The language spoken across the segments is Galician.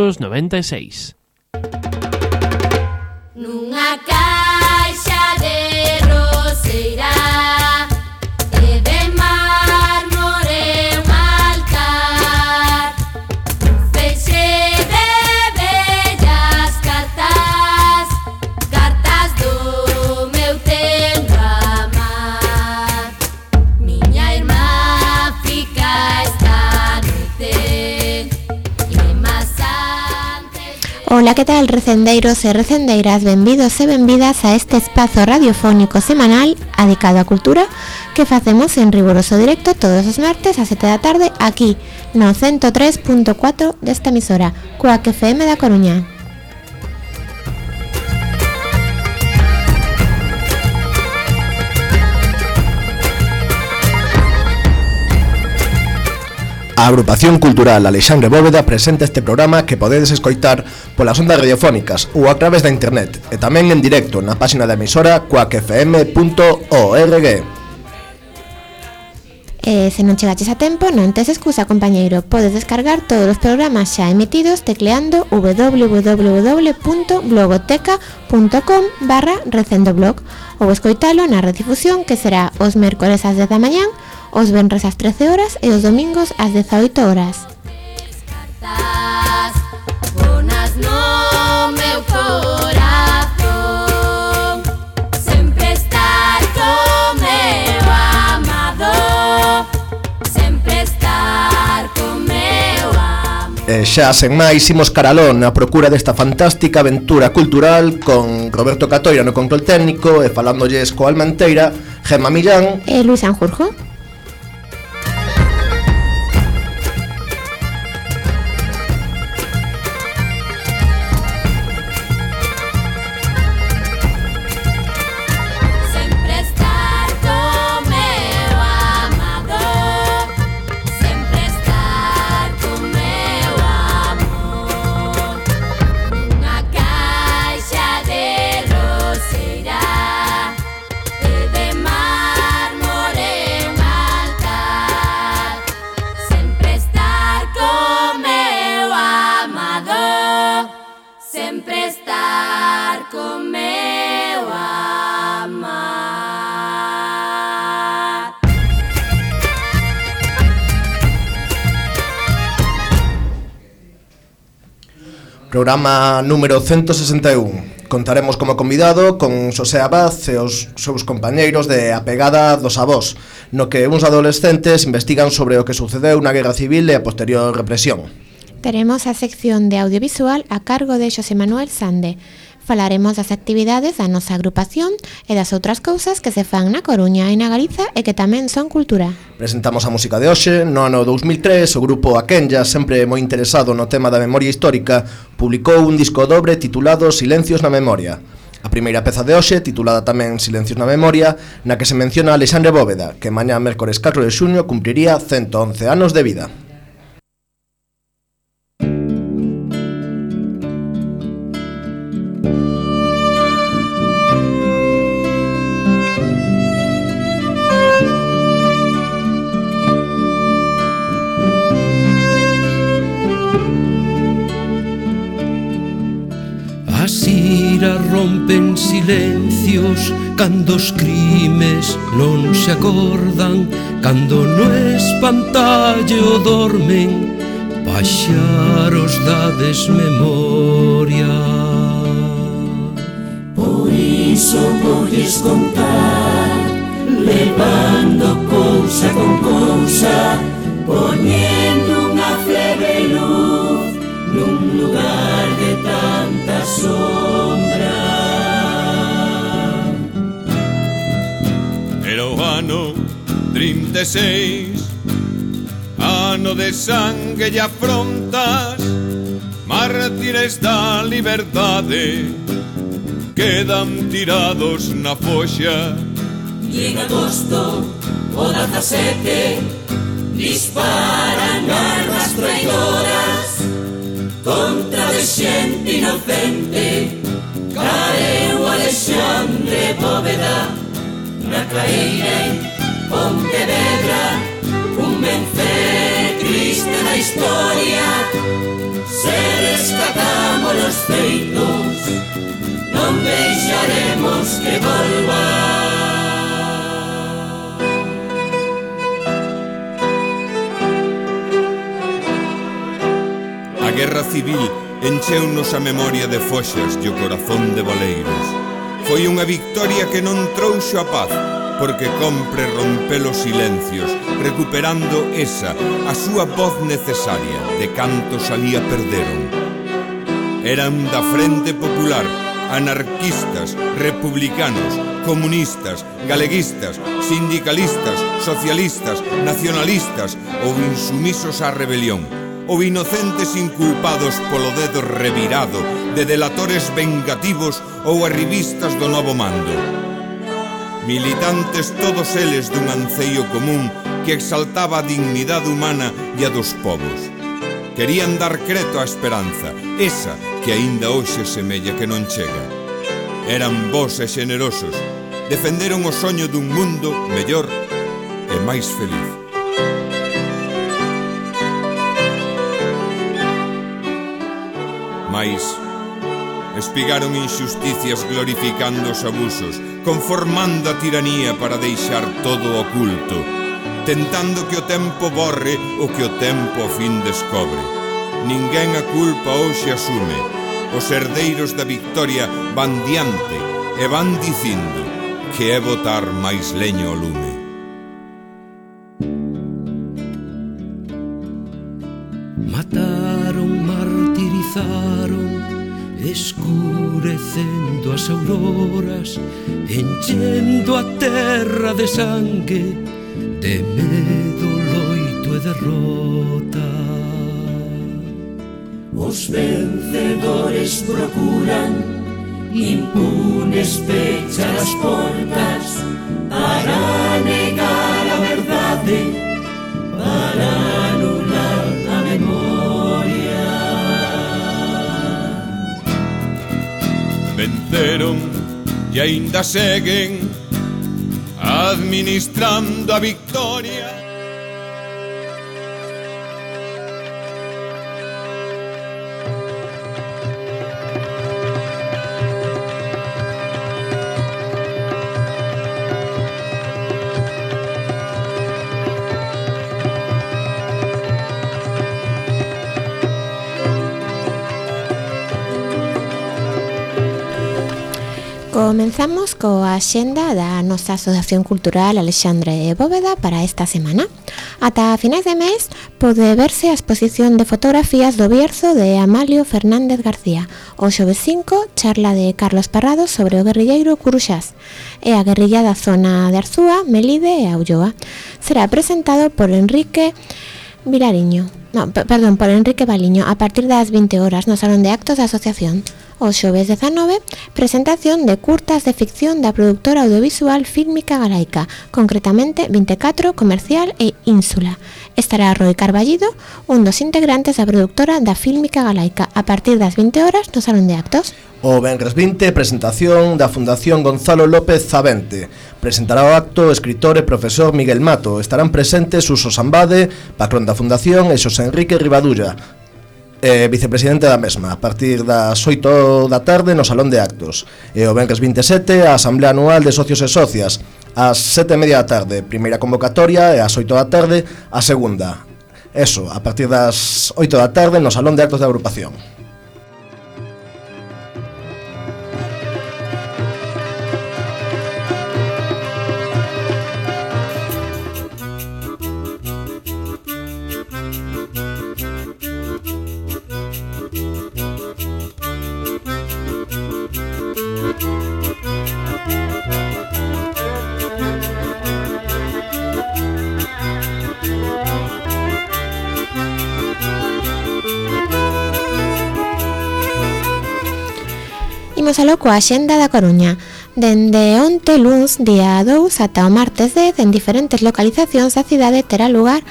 1996. Nunha caixa de roseira e de mármore un altar, un feixe de bellas cartas, cartas do meu tempo amar. Miña irmá fica esta noite e más antes de... Hola, ¿qué tal, recendeiros e recendeiras? Benvidos e benvidas a este espazo radiofónico semanal dedicado á cultura que facemos en riguroso directo todos os martes a 7 da tarde aquí no 103.4 desta emisora, Cuac FM da Coruña. A Agrupación Cultural Alexandre Bóveda presenta este programa que podedes escoitar polas ondas radiofónicas ou a través da internet e tamén en directo na páxina da emisora cuacfm.org. Se non chegaches a tempo, non tes excusa, compañeiro. Podes descargar todos os programas xa emitidos tecleando www.blogoteca.com/recendoblog ou escoitalo na redifusión que será os mércores ás 10 da mañán, os venres ás 13 horas e os domingos ás 18 horas. Bonas no meu corazón, sempre estar co meu amado, sempre estar co meu amor. E xa sen máis imos caralón a procura desta fantástica aventura cultural con Roberto Catoira no control técnico e falándolles co Almanteira, Gemma Millán E Luis Sanjurjo. Sempre estar co meu amado, sempre estar co meu amor. Nunha caixa de roseira e de mármore un altar, sempre estar co meu amado, sempre estar co meu amar. Programa número 161. Contaremos como convidado con Xosé Abad e os seus compañeiros de A Pegada dos Avós, no que uns adolescentes investigan sobre o que sucedeu na Guerra Civil e a posterior represión. Teremos a sección de audiovisual a cargo de Xosé Manuel Sande. Falaremos das actividades da nosa agrupación e das outras cousas que se fan na Coruña e na Galiza e que tamén son cultura. Presentamos a música de hoxe. No ano 2003, o grupo Aquenya, sempre moi interesado no tema da memoria histórica, publicou un disco dobre titulado Silencios na Memoria. A primeira peza de hoxe, titulada tamén Silencios na Memoria, na que se menciona a Alexandre Bóveda, que mañá mércores 4 de xuño cumpriría 111 anos de vida. As iras rompen silencios cando os crimes non se acordan, cando no espantallo dormen paxaros da desmemoria. Por iso volles contar, levando cousa con cousa, poñendo unha flebe luz nun lugar de tanta sombra. Era o ano 36, ano de sangue e afrontas, mártires da liberdade quedan tirados na foxa. E en agosto o 17 disparan armas traidoras contra de xente inocente. Caeu Alexandre Bóveda na Claeira en Pontevedra, un vencer triste na historia, ser polos feitos, non deixaremos que volva. A guerra civil encheunos a memoria de foxas e o corazón de boleiros. Foi unha victoria que non trouxo a paz, porque compre romper os silencios, recuperando esa, a súa voz necesaria, de cantos alí a perderon. Eran da Frente Popular, anarquistas, republicanos, comunistas, galeguistas, sindicalistas, socialistas, nacionalistas ou insumisos á rebelión, ou inocentes inculpados polo dedo revirado de delatores vengativos ou arribistas do novo mando. Militantes todos eles dun anceio común que exaltaba a dignidade humana e a dos povos. Querían dar creto á esperanza, esa que aínda hoxe semella que non chega. Eran bons e xenerosos, defenderon o soño dun mundo mellor e máis feliz. Mais espigaron injusticias glorificando os abusos, conformando a tiranía para deixar todo oculto, tentando que o tempo borre o que o tempo ao fin descobre. Ninguén a culpa hoxe asume. Os herdeiros da victoria van diante e van dicindo que é botar máis leño ao lume. Mataron, martirizaron, escurecendo as auroras, enchendo a terra de sangue, de medo, loito e derrota. Os vencedores procuran impunes pechar as portas para negar a verdade, para anular a memoria. Venceron e aínda seguen administrando a victoria. Comenzamos coa axenda da nosa Asociación Cultural Alexandre Bóveda para esta semana. Ata finais de mes pode verse a exposición de fotografías do Bierzo de Amalio Fernández García. O xoves 5, charla de Carlos Parrado sobre o guerrilleiro Curuxás e a guerrilla da zona de Arzúa, Melide e Ulloa. Será presentado por Enrique Baliño a partir das 20 horas no Salón de Actos da Asociación. O xoves 19, presentación de curtas de ficción da productora audiovisual Fílmica Galaica, concretamente 24, Comercial e Ínsula. Estará Roi Carballido, un dos integrantes da productora da Fílmica Galaica, a partir das 20 horas no Salón de Actos. O venres 20, presentación da Fundación Gonzalo López Zavente. Presentará o acto o escritor e profesor Miguel Mato. Estarán presentes Uso Sambade, patrón da Fundación, e Xosé Enrique Rivadulla, vicepresidente da mesma, a partir das 8 da tarde no Salón de Actos. E o venres 27, a Asamblea Anual de Socios e Socias, ás 7:30 da tarde, primeira convocatoria, e ás 8 da tarde, a segunda. Eso, a partir das 8 da tarde no Salón de Actos da agrupación. Imos aló coa axenda da Coruña. Dende onte luns, día 2, ata o martes 10, en diferentes localizacións da cidade terá lugar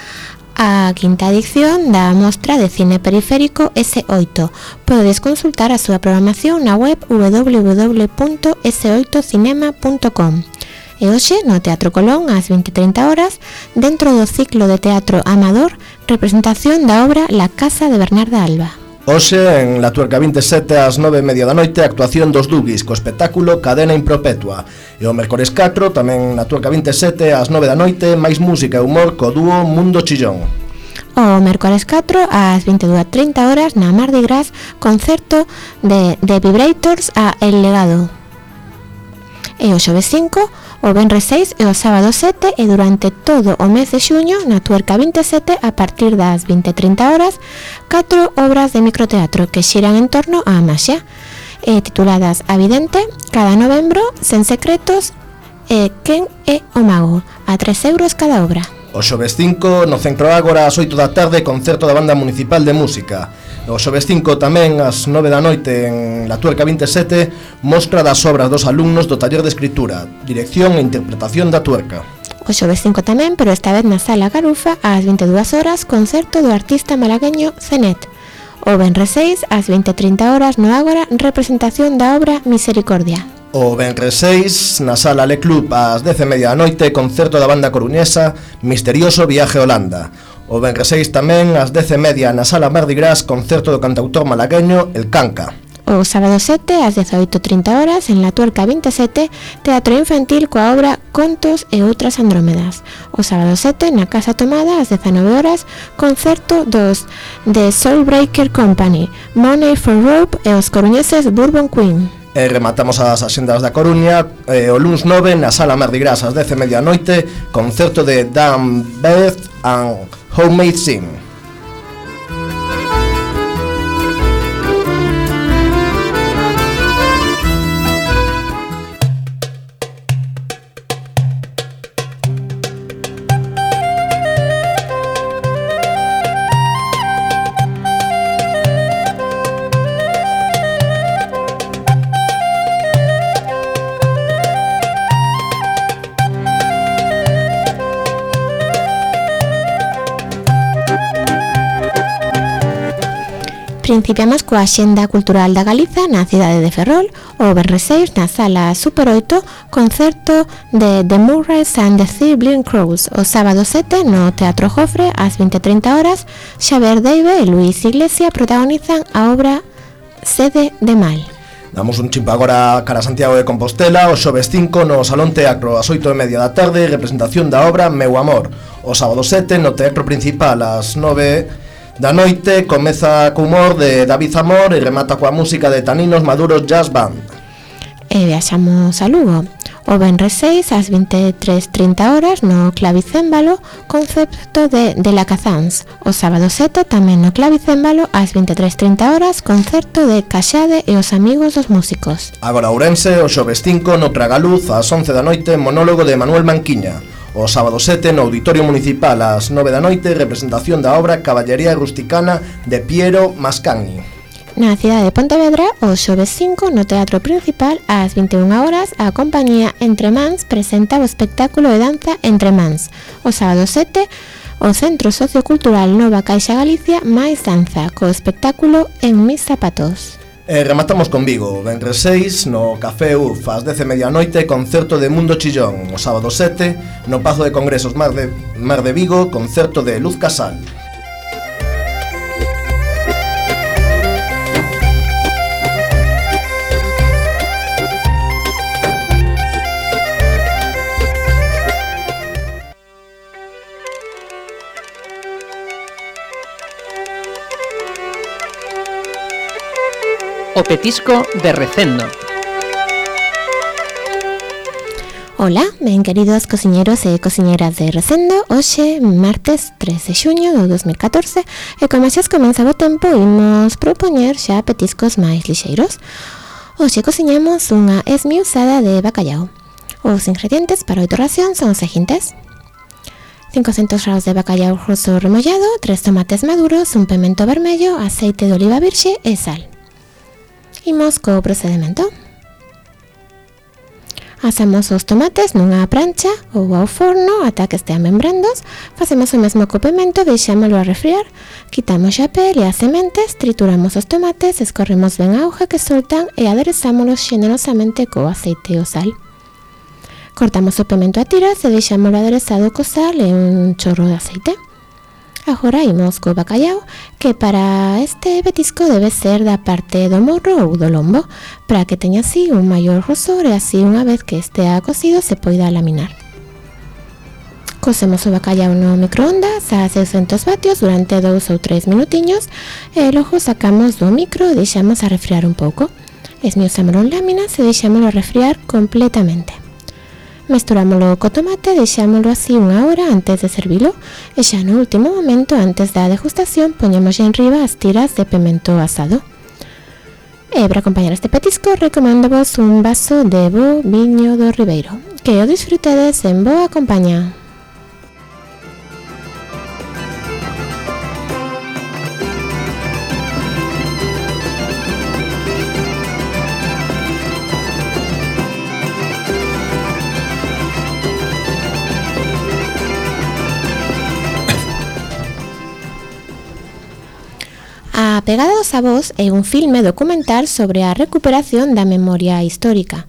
a quinta edición da mostra de cine periférico S8. Podedes consultar a súa programación na web www.s8cinema.com. E hoxe, no Teatro Colón, ás 20:30 horas, dentro do ciclo de teatro amador, representación da obra La Casa de Bernarda Alba. Hoxe, en La Tuerca 27, ás 9:30 da noite, actuación dos Dugis, co espectáculo Cadena Impropetua. E o mércores 4, tamén na Tuerca 27, ás 9 da noite, máis música e humor co dúo Mundo Chillón. O mércores 4, ás 22:30 horas, na Mardi Gras, concerto de Vibrators a El Legado. E o xoves 5, o venres 6 e o sábado 7, e durante todo o mes de xuño, na Tuerca 27, a partir das 20:30 horas, 4 obras de microteatro que xiran en torno á maxia, tituladas A Vidente, Cada Novembro, Sen Secretos e Quen é o Mago, a 3 euros cada obra. O xoves 5, no Centro Ágora, ás 8 da tarde, concerto da Banda Municipal de Música. O xoves 5 tamén, ás 9 da noite, en La Tuerca 27, mostra das obras dos alumnos do taller de escritura, dirección e interpretación da Tuerca. O xoves 5 tamén, pero esta vez na Sala Garufa, ás 22 horas, concerto do artista malagueño Zenet. O venres 6, ás 20:30 horas, no Ágora, representación da obra Misericordia. O venres 6, na Sala Le Club, ás 10:30 da noite, concerto da banda coruñesa Misterioso Viaje a Holanda. O venres 6 tamén, ás 10:30, na Sala Mardi Gras, concerto do cantautor malagueño El Canca. O sábado 7, ás 18:30 horas, en La Tuerca 27, teatro infantil coa obra Contos e outras Andrómedas. O sábado 7, na Casa Tomada, ás 19 horas, concerto dos The Soulbreaker Company, Money for Rope e os coruñeses Bourbon Queen. E rematamos as axendas da Coruña, o luns 9, na Sala Mardi Gras, ás 10:30 da noite, concerto de Dan Beth and Homemade Sin. Principiamos coa Axenda Cultural da Galiza na cidade de Ferrol. O venres 6, na Sala Super 8, concerto de The Murrays and the Sibling Crows. O sábado 7, no Teatro Jofre, ás 20:30 horas, Xavier Deive e Luis Iglesia protagonizan a obra Sede de Mal. Damos un chimpo agora cara a Santiago de Compostela. O xoves 5, no Salón Teatro, ás 8:30 da tarde, representación da obra Meu Amor. O sábado 7, no Teatro Principal, ás 9 da noite, comeza co humor de David Zamor e remata coa música de Taninos Maduros Jazz Band. E viaxamos a Lugo. O venres 6, ás 23:30 horas, no Clavicémbalo, concerto de La Cazans. O sábado 7, tamén no Clavicémbalo, ás 23:30 horas, concerto de Caxade e os amigos dos músicos. Agora Ourense, o xoves 5, no Tragaluz, ás 11 da noite, monólogo de Manuel Manquiña. O sábado 7, no Auditorio Municipal, ás 9 da noite, representación da obra Caballería Rusticana de Piero Mascagni. Na cidade de Pontevedra, o xoves 5, no Teatro Principal, ás 21 horas, a compañía Entre Mans presenta o espectáculo de danza Entre Mans. O sábado 7, o Centro Sociocultural Nova Caixa Galicia máis danza, co espectáculo En Mis Zapatos. Rematamos con Vigo, venres 6, no Café UF, ás 10:30 da noite, concerto de Mundo Chillón. O sábado 7, no Pazo de Congresos Mar de Vigo, concerto de Luz Casal. O petisco de Recendo. Ola, ben queridos cociñeros e cociñeras de Recendo. Hoxe, martes 3 de xuño do 2014, e como xa comeza o tempo, imos propoñer xa petiscos máis lixeiros. Hoxe cociñamos unha esmiusada de bacallau. Os ingredientes para 8 racións son os seguintes: 500 graus de bacallau roso remollado, 3 tomates maduros, un pemento vermello, aceite de oliva virxe e sal. Imos co procedimento. Asamos os tomates nunha prancha ou ao forno ata que estean ben brandos. Facemos o mesmo co pemento, deixámolo a refriar. Quitamos a pel e as sementes, trituramos os tomates, escorremos ben a auga que soltan e aderezámolos xenerosamente co aceite e o sal. Cortamos o pemento a tiras e deixámolo aderezado co sal e un chorro de aceite. Agora imos co bacallau, que para este petisco debe ser da parte do morro ou do lombo, para que teña así un maior grosor e así unha vez que estea cocido se poida laminar. Cosemos o bacallau no microondas a 600 vatios durante 2 ou 3 minutiños e logo sacamos do micro e deixamos a refriar un pouco. Esmiuzámolo en láminas e deixámolo a refriar completamente. Mesturámolo co tomate e deixámolo así unha hora antes de servilo e xa no último momento antes da degustación poñemos en riba as tiras de pemento asado. E para acompañar este petisco recoméndovos un vaso de bo viño do Ribeiro. Que o disfrutedes en boa compañía. A Pegada dos Avós é un filme documental sobre a recuperación da memoria histórica.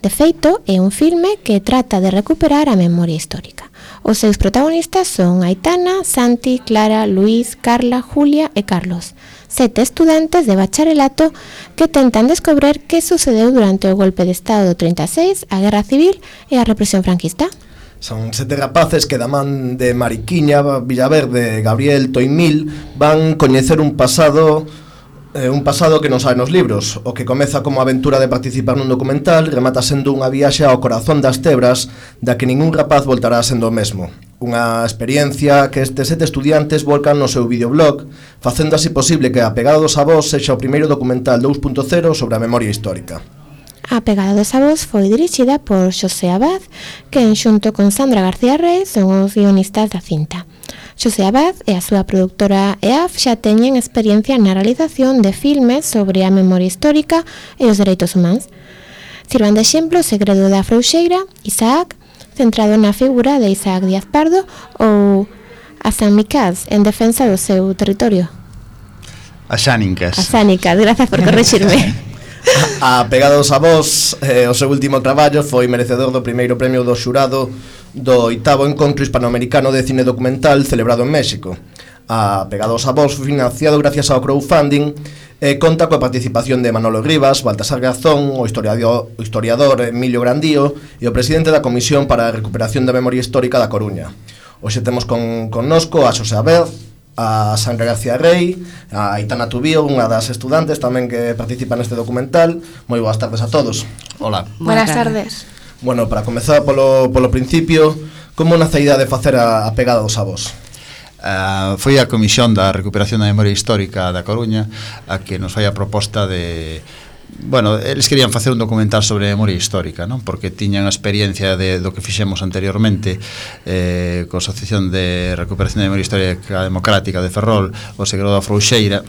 De feito, é un filme que trata de recuperar a memoria histórica. Os seus protagonistas son Aitana, Santi, Clara, Luís, Carla, Julia e Carlos, 7 estudantes de bacharelato que tentan descobrir que sucedeu durante o golpe de Estado do 36, a Guerra Civil e a represión franquista. Son 7 rapaces que da man de Mariquiña, Villaverde, Gabriel, Toimil van coñecer un pasado que non sabe nos libros. O que comeza como aventura de participar nun documental remata sendo unha viaxe ao corazón das Tebras da que ningún rapaz voltará sendo o mesmo. Unha experiencia que estes 7 estudiantes volcan no seu videoblog, facendo así posible que A Pegada dos Avós sexa o primeiro documental 2.0 sobre a memoria histórica. A Pegada dos Avós foi dirixida por Xosé Abad, que xunto con Sandra García Reis son os guionistas da cinta. Xosé Abad e a súa produtora EAF xa teñen experiencia na realización de filmes sobre a memoria histórica e os dereitos humanos. Sirvan de exemplo O segredo da Frouxeira, Isaac, centrado na figura de Isaac Díaz Pardo, ou A San Micás, en defensa do seu territorio. As Xánicas. As Xánicas, grazas por corrixirme. A Pegada dos Avós, o seu último traballo, foi merecedor do primeiro premio do xurado do 8º Encontro Hispanoamericano de Cine Documental celebrado en México. A Pegada dos Avós foi financiado gracias ao crowdfunding e conta coa participación de Manolo Rivas, Baltasar Garzón, o historiador Emilio Grandío e o presidente da Comisión para a Recuperación da Memoria Histórica da Coruña. Hoxe temos connosco a Xosé Abad, a Sandra García Rey, a Aitana Tubío, unha das estudantes tamén que participa neste documental. Moi boas tardes a todos. Hola. Buenas tardes. Bueno, para comezar polo principio, como nace a idea de facer a Pegada dos Avós? Foi a Comisión da Recuperación da Memoria Histórica da Coruña a que nos fai a proposta de... Bueno, eles querían facer un documental sobre a memoria histórica, non? Porque tiñan a experiencia do que fixemos anteriormente coa Asociación de Recuperación da Memoria Histórica Democrática de Ferrol, o segredo da Frouxeira,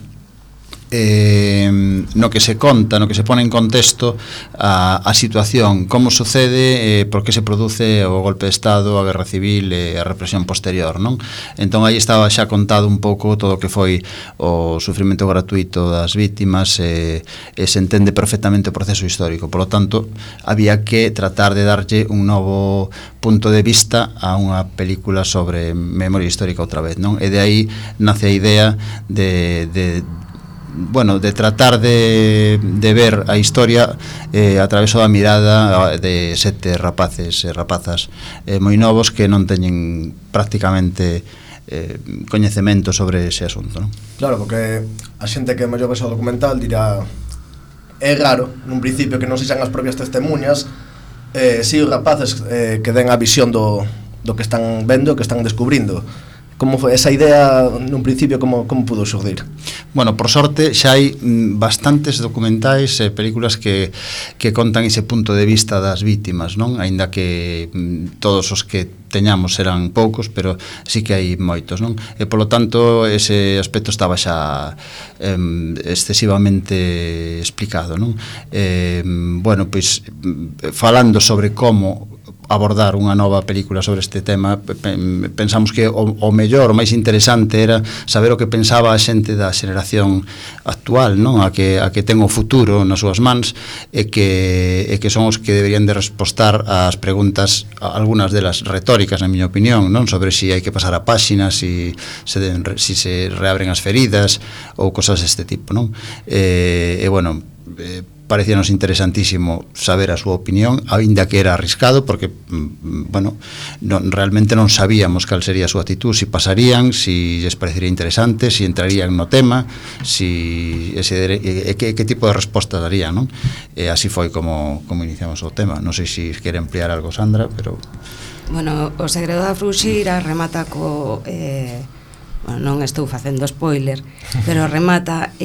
no que se conta, no que se pone en contexto a situación, como sucede, por que se produce o golpe de Estado, a Guerra Civil e a represión posterior, non? Entón aí estaba xa contado un pouco todo o que foi o sufrimento gratuito das vítimas e se entende perfectamente o proceso histórico. Por lo tanto, había que tratar de darlle un novo punto de vista a unha película sobre memoria histórica outra vez, non? E de aí nace a idea de tratar de ver a historia a través da mirada de 7 rapaces e rapazas moi novos que non teñen prácticamente coñecemento sobre ese asunto, non? Claro, porque a xente que mellor ves o documental dirá é raro, nun principio, que non sexan as propias testemunhas, si os rapaces que den a visión do que están vendo, que están descubrindo. Como foi esa idea nun principio, como pudo xurdir? Bueno, por sorte xa hai bastantes documentais e películas que contan ese punto de vista das vítimas, non? Aínda que todos os que teñamos eran poucos, pero sí que hai moitos, non? E polo tanto ese aspecto estaba xa excesivamente explicado, non? Bueno, pois falando sobre como abordar unha nova película sobre este tema, pensamos que o mellor, o máis interesante era saber o que pensaba a xente da xeración actual, non? A que ten o futuro nas súas mans e que son os que deberían de respostar ás preguntas, algunhas delas retóricas, na miña opinión, non? Sobre si hai que pasar a páxina, si se reabren as feridas ou cosas deste tipo, non? Bueno, parecíanos interesantísimo saber a súa opinión, aínda que era arriscado, porque, bueno, realmente non sabíamos cal sería a súa actitud, si pasarían, si lles parecería interesante, si entrarían no tema, que tipo de resposta darían, non? Así foi como iniciamos o tema. Non sei se quere ampliar algo, Sandra, pero... Bueno, o segredo da Fruxira remata co... bueno, non estou facendo spoiler, pero remata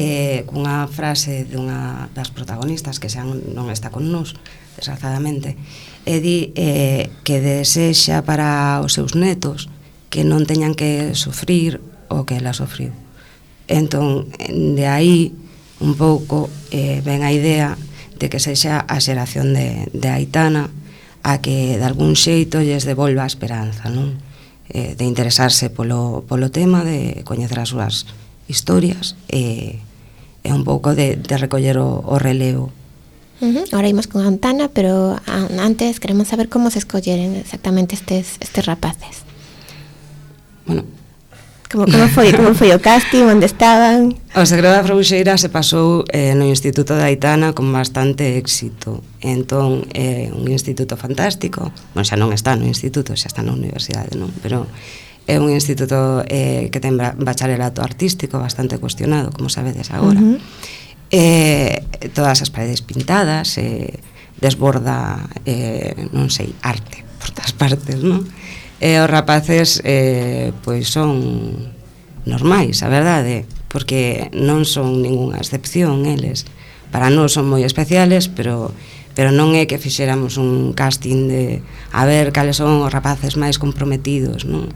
cunha frase dunha das protagonistas que xa non está con nós, desgraciadamente, e di que desexa para os seus netos que non teñan que sufrir o que ela sufriu. Entón, de aí un pouco ven a idea de que sexa a xeración de Aitana a que de algún xeito lles devolva a esperanza, non? De interesarse polo tema, de coñecer as súas historias e un pouco de recoller o relevo. Ahora imos con Aitana, pero antes queremos saber como se escolleren exactamente estes rapaces. Bueno, como foi o casting, onde estaban? O segredo da Fruxeira se pasou no Instituto de Aitana con bastante éxito. Entón, é un instituto fantástico. Bueno, xa non está no instituto, xa está na universidade, non? Pero é un instituto que ten bacharelato artístico bastante cuestionado, como sabedes agora. Todas as paredes pintadas, desborda, non sei, arte por todas partes, non? E os rapaces pois son normais, a verdade, porque non son ningunha excepción eles. Para nós son moi especiales, pero non é que fixéramos un casting de a ver cales son os rapaces máis comprometidos, non?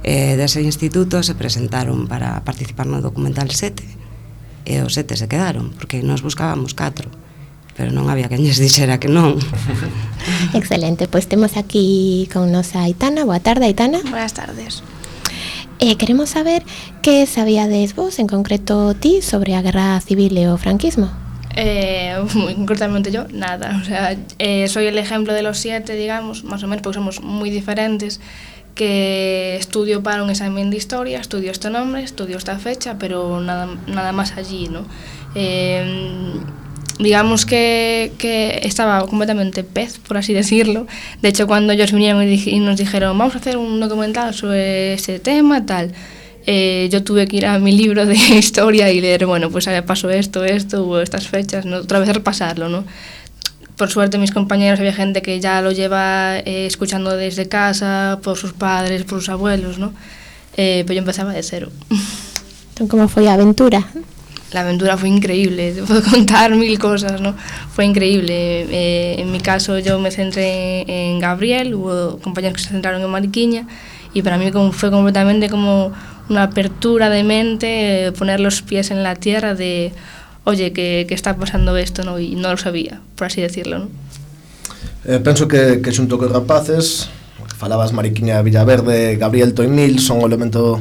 Dese instituto se presentaron para participar no documental 7 e os 7 se quedaron, porque nós buscábamos 4, pero non había quen lles dixera que non. Excelente, pois temos aquí con nosa Aitana. Boa tarde, Aitana. Buenas tardes. Queremos saber que sabíades vos, en concreto ti, sobre a guerra civil e o franquismo. Muy concretamente yo, nada. O sea, soy el ejemplo de los 7, digamos, más o menos, porque somos muy diferentes, que estudio para un examen de historia, estudio este nombre, estudio esta fecha, pero nada más allí, ¿no? Digamos que estaba completamente pez, por así decirlo. De hecho, cuando ellos vinieron y nos dijeron vamos a hacer un documental sobre ese tema, tal, yo tuve que ir a mi libro de historia y leer, bueno, pues pasó esto, hubo estas fechas, ¿no? Otra vez repasarlo, ¿no? Por suerte mis compañeros, había gente que ya lo lleva escuchando desde casa, por sus padres, por sus abuelos, ¿no? Pero yo empezaba de cero. ¿Cómo fue a aventura? La aventura fue increíble, te puedo contar 1000 cosas, ¿no? Fue increíble. En mi caso yo me centré en Gabriel, hubo compañeros que se centraron en Mariquiña y para mí fue completamente como una apertura de mente, poner los pies en la tierra de, oye, que está pasando esto, ¿no? Y no lo sabía, por así decirlo, ¿no? Penso que xunto cos rapaces, falabas Mariquiña, Villaverde, Gabriel Toimil, son o elemento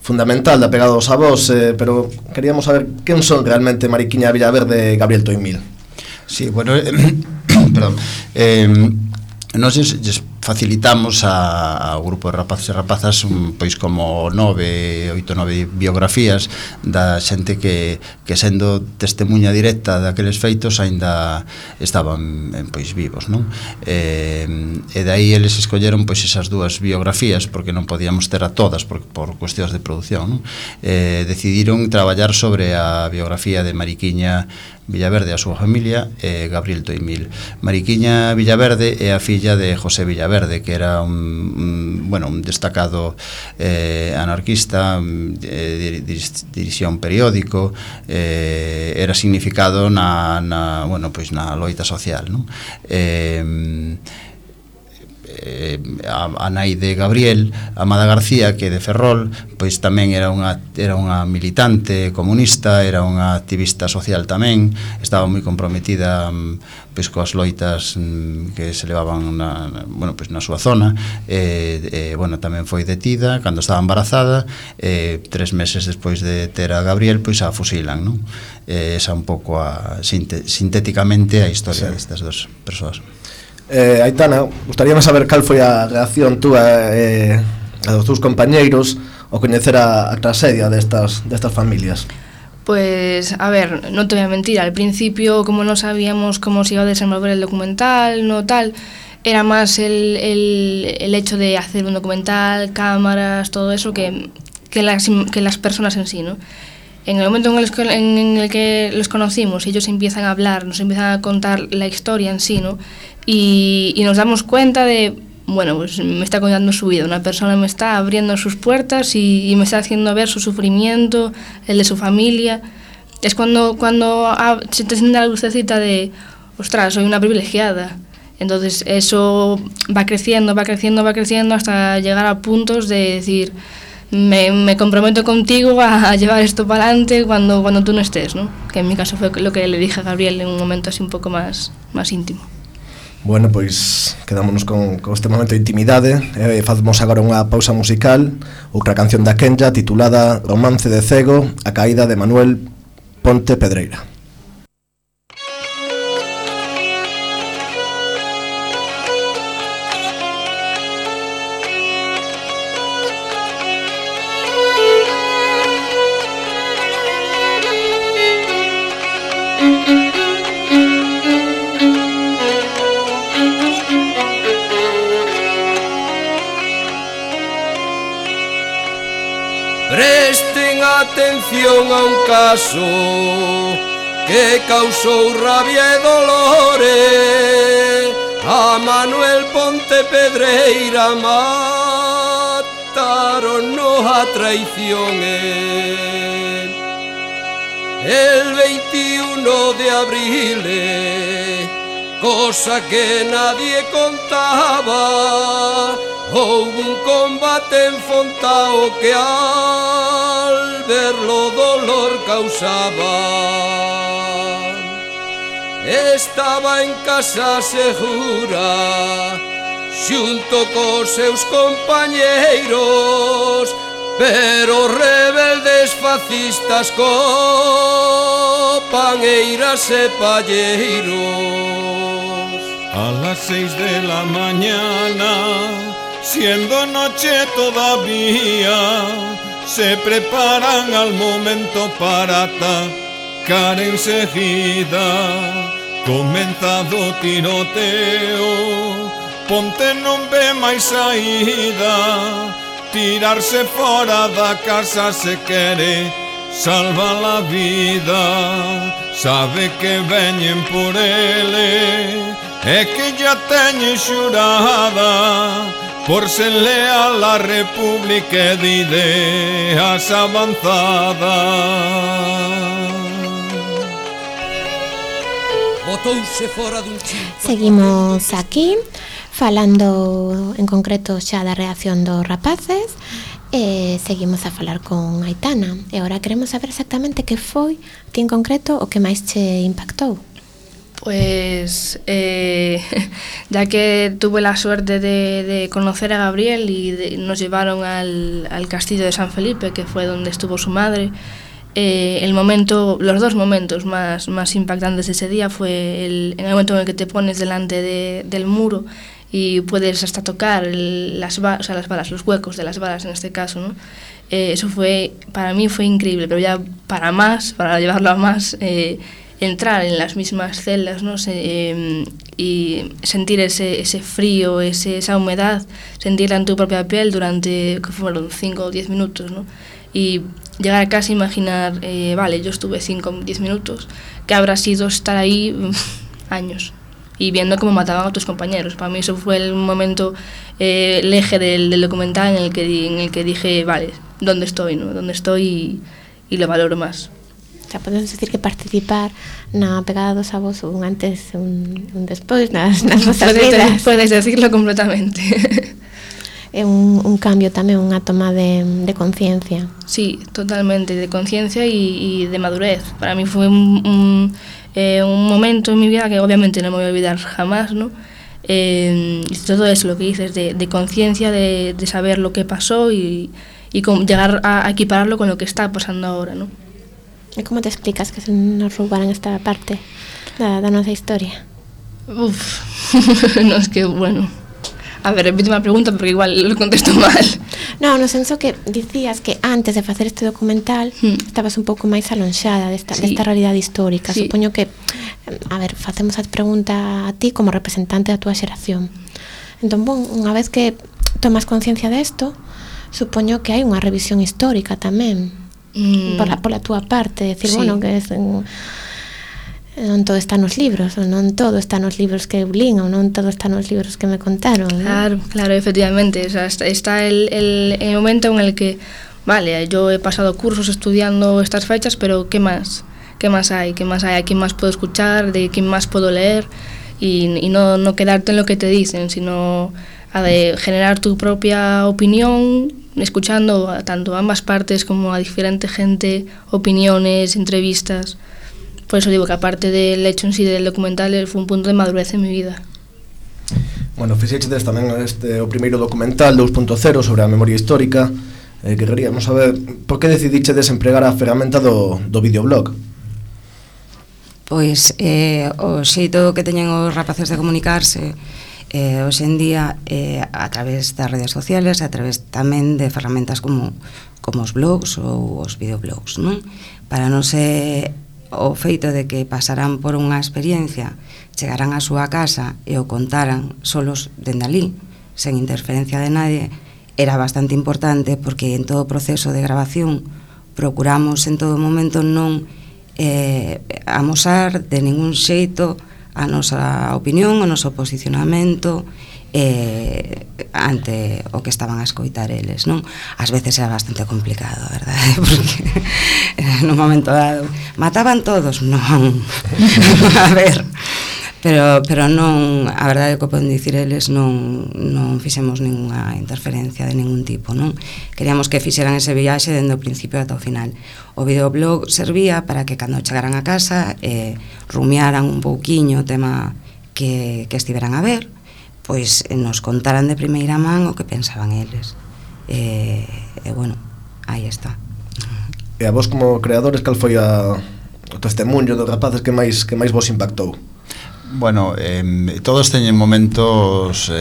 fundamental da pegada dos avós, pero queríamos saber quen son realmente Mariquiña, Villaverde e Gabriel Toimil. Sí, bueno, perdón, nós facilitamos ao grupo de rapaces e rapazas pois como 8, 9 biografías da xente que sendo testemunha directa daqueles feitos aínda estaban pois vivos, non? E dai eles escolleron pois esas 2 biografías porque non podíamos ter a todas por cuestións de produción, non? Decidiron traballar sobre a biografía de Mariquiña Villaverde e a súa familia e Gabriel Toimil. Mariquiña Villaverde é a filla de José Villaverde, que era un destacado anarquista, dirixía un periódico, era significado na loita social, non? a nai de Gabriel, Amada García, que de Ferrol, pois tamén era unha militante comunista, era unha activista social tamén, estaba moi comprometida pois coas loitas que se levaban na súa zona, bueno, tamén foi detida cando estaba embarazada, 3 meses despois de ter a Gabriel, pois a fusilan, non? Esa un pouco sintéticamente a historia destas dos persoas. Aitana, gustaríame saber cal foi a reacción túa e a dos teus compañeiros ao coñecer a traxedia destas familias. Pues, a ver, no te voy a mentir, al principio, como no sabíamos cómo se iba a desenvolver el documental, no tal, era más el hecho de hacer un documental, cámaras, todo eso, que las personas en sí, ¿no? En el momento en el que los conocimos, ellos empiezan a hablar, nos empiezan a contar la historia en sí, ¿no? Y nos damos cuenta de, bueno, pues me está contando su vida, una persona me está abriendo sus puertas y me está haciendo ver su sufrimiento, el de su familia. Es cuando se te enciende la lucecita de, ostras, soy una privilegiada. Entonces eso va creciendo hasta llegar a puntos de decir, me comprometo contigo a llevar esto para adelante cuando tú no estés, ¿no? Que en mi caso fue lo que le dije a Gabriel en un momento así un poco más íntimo. Bueno, pois quedámonos con este momento de intimidade. Facemos agora unha pausa musical, outra canción da Kenya titulada Romance de Cego, a caída de Manuel Ponte Pedreira. Presten atención a un caso que causou rabia e dolores. A Manuel Ponte Pedreira mataron a traición. El 21 de abril, cosa que nadie contaba, houve un combate en Fontao que al verlo dolor causaba. Estaba en casa segura, xunto cos seus compañeiros, pero rebeldes fascistas copaneiras e palleiros. A las 6 de la mañana, siendo noche todavía, se preparan al momento para atacar enseguida. Comenzado tiroteo, Ponte non ve máis saída, tirarse fora da casa se quere salva la vida. Sabe que veñen por ele e que ya teñen xurada por ser leal a República de ideas avanzadas. Botouse fora dun chimpa. Seguimos aquí falando en concreto xa da reacción dos rapaces. Seguimos a falar con Aitana e agora queremos saber exactamente que foi ti en concreto o que máis che impactou. Pues ya que tuve la suerte de conocer a Gabriel y nos llevaron al castillo de San Felipe, que fue donde estuvo su madre, los dos momentos más impactantes de ese día fue en el momento en el que te pones delante del muro y puedes hasta tocar las balas, los huecos de las balas en este caso, ¿no? Eso para mí fue increíble, pero ya para llevarlo a más, entrar en las mismas celdas, ¿no? Y sentir ese frío, esa humedad, sentirla en tu propia piel durante, que fueron 5 o 10 minutos, ¿no? Y llegar a casa e imaginar, vale, yo estuve 5 o 10 minutos, que habrá sido estar ahí años, y viendo cómo mataban a tus compañeros. Para mí eso fue el momento, el eje del documental en el que dije, vale, ¿dónde estoy, no? ¿Dónde estoy? Y lo valoro más. sea, podemos decir que participar na pegada dos avós un antes e un despois nas vosas vidas. Podes decirlo completamente. É un cambio tamén, unha toma de conciencia. Sí, totalmente, de conciencia y de madurez. Para mí fue un momento en mi vida que obviamente no me voy a olvidar jamás, ¿no? Y todo eso, lo que dices, de conciencia, de saber lo que pasó y llegar a equipararlo con lo que está pasando ahora, ¿no? E como te explicas que se nos roubaran esta parte da nosa historia? Uf, no, es que, bueno... A ver, repíteme a pregunta porque igual lo contesto mal. No, no senso que dicías que antes de facer este documental estabas un pouco máis alonxada desta realidade histórica. Sí. Supoño que, a ver, facemos a pregunta a ti como representante da túa xeración. Entón, bon, unha vez que tomas conciencia desto, supoño que hai unha revisión histórica tamén pola túa parte, decir, sí. Bueno, que non todo está nos libros, ou non todo está nos libros que eu lín, ou non todo está nos libros que me contaron, ¿no? Claro, efectivamente, o sea, está el momento en el que, vale, yo he pasado cursos estudiando estas fechas, pero ¿qué más? ¿Qué más hay? ¿A quién más puedo escuchar? ¿De quién más puedo leer? Y no quedarte en lo que te dicen, sino a de generar tu propia opinión, escuchando tanto a ambas partes como a diferente gente, opiniones, entrevistas. Por eso digo que aparte del hecho en sí del documental fue un punto de madurez en mi vida. Bueno, fixeches tamén o primeiro documental 2.0 sobre a memoria histórica, que queríamos saber por que decidichedes empregar a ferramenta do videoblog? Pois o xeito que teñen os rapaces de comunicarse hoxe en día a través das redes sociales, a través tamén de ferramentas como os blogs ou os videoblogs, non? Para non ser o feito de que pasarán por unha experiencia, chegarán á súa casa e o contaran solos dende alí, sen interferencia de nadie, era bastante importante porque en todo o proceso de grabación procuramos en todo momento non amosar de ningún xeito a nosa opinión, o noso posicionamento ante o que estaban a escoitar eles, non? Ás veces era bastante complicado, verdade? Porque no momento dado mataban todos, non. A ver, pero non, a verdade que poden dicir eles, non fixemos ninguna interferencia de ningún tipo, non? Queríamos que fixeran ese viaxe dende o principio ata o final. O videoblog servía para que cando chegaran a casa rumiaran un pouquiño o tema que estiveran a ver, pois nos contaran de primeira man o que pensaban eles. E bueno, aí está. E a vos como creadores, cal foi o testemunho dos rapaces que máis vos impactou? Bueno, todos teñen momentos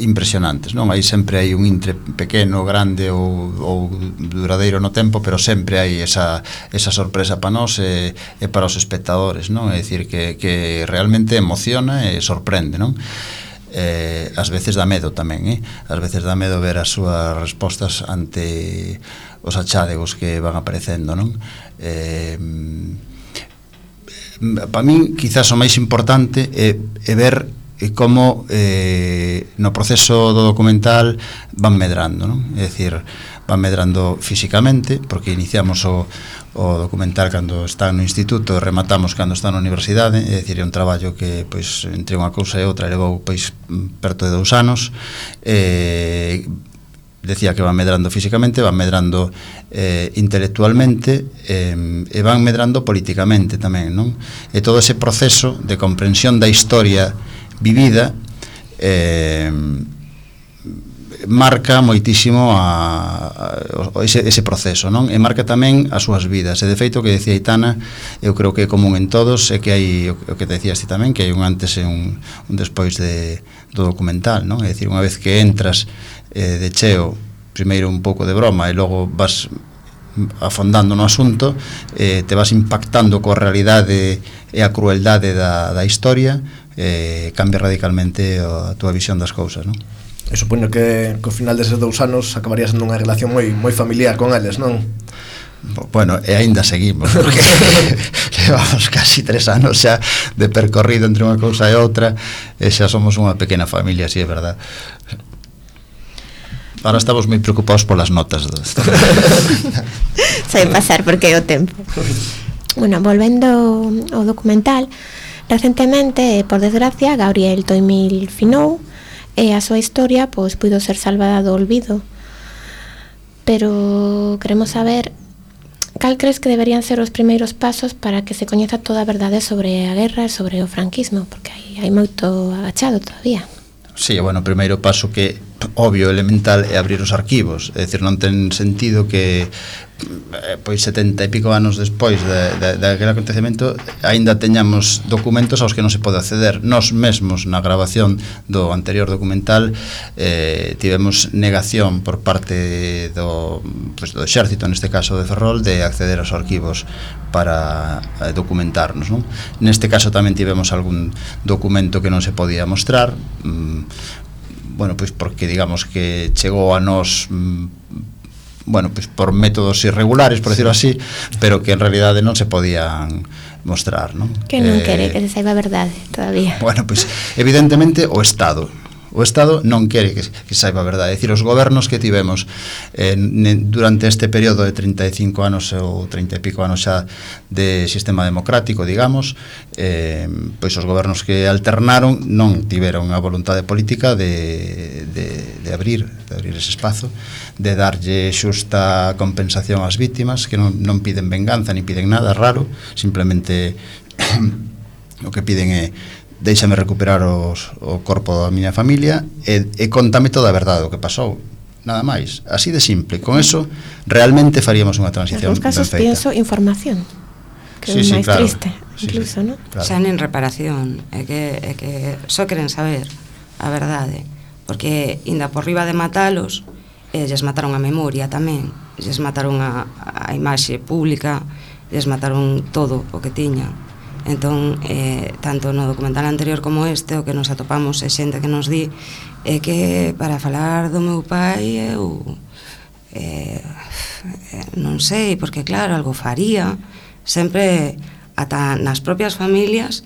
impresionantes, non? Aí sempre hai un intre pequeno, grande ou duradeiro no tempo, pero sempre hai esa sorpresa para nós e para os espectadores, non? É dicir, que realmente emociona e sorprende, non? Ás veces dá medo tamén, ás veces dá medo ver as súas respostas ante os achádegos que van aparecendo, non? Para min, quizás o máis importante é ver como no proceso do documental van medrando, non? É dicir, van medrando físicamente, porque iniciamos o documental cando está no instituto e rematamos cando está na universidade, é dicir, é un traballo que, pois, entre unha cousa e outra levou, pois, perto de 2 anos. Decía que van medrando físicamente, van medrando intelectualmente e van medrando políticamente tamén, non? E todo ese proceso de comprensión da historia vivida marca moitísimo ese proceso, non? E marca tamén as súas vidas. E de feito, que decía Aitana, eu creo que é común en todos, é que hai o que te decías ti tamén, que hai un antes e un despois do documental, non? É dicir, unha vez que entras de cheo, primeiro un pouco de broma e logo vas afondando no asunto, te vas impactando coa realidade e a crueldade da historia, cambia radicalmente a túa visión das cousas, non? E supoño que ao final deses 2 anos acabaría sendo unha relación moi familiar con eles, non? Bueno, e aínda seguimos, porque levamos casi 3 anos xa de percorrido entre unha cousa e outra, e xa somos unha pequena familia, si é verdad. Ahora estamos moi preocupados polas notas. Sai pasar porque é o tempo. Bueno, volvendo ao documental, recentemente, por desgracia, Gabriel Toimil finou e a súa historia pois puido ser salvada do olvido. Pero queremos saber cal crees que deberían ser os primeiros pasos para que se coñeza toda a verdade sobre a guerra e sobre o franquismo, porque hai moito agachado todavía. Sí, bueno, o primeiro paso que obvio, elemental é abrir os arquivos, é dicir, non ten sentido que pois 70 e pico anos despois daquele acontecemento aínda teñamos documentos aos que non se pode acceder. Nós mesmos na grabación do anterior documental tivemos negación por parte do exército, neste caso de Ferrol, de acceder aos arquivos para documentarnos, non? Neste caso tamén tivemos algún documento que non se podía mostrar, bueno, pois porque digamos que chegou a nós bueno, pois por métodos irregulares, por decirlo así, pero que en realidade non se podían mostrar, non? Que non quere que se saiba a verdade todavía. Bueno, pois evidentemente o Estado non quere que saiba a verdade. É dicir, os gobernos que tivemos durante este período de 35 anos ou 30 e pico anos xa de sistema democrático, digamos, pois os gobernos que alternaron non tiveron a voluntade política de abrir ese espazo, de darlle xusta compensación ás vítimas, que non piden venganza ni piden nada raro, simplemente o que piden é déixame recuperar o corpo da miña familia e contame toda a verdade do que pasou, nada máis, así de simple. Con eso realmente faríamos unha transición ben feita. Nos casos pienso información, que é máis claro, triste, incluso, ¿no? Claro. Xa nin reparación, é que só queren saber a verdade, porque inda por riba de matalos, lles mataron a memoria tamén, lles mataron a imaxe pública, lles mataron todo o que tiñan. Entón, tanto no documental anterior como este, o que nos atopamos é xente que nos di é que para falar do meu pai eu non sei, porque claro, algo faría, sempre ata nas propias familias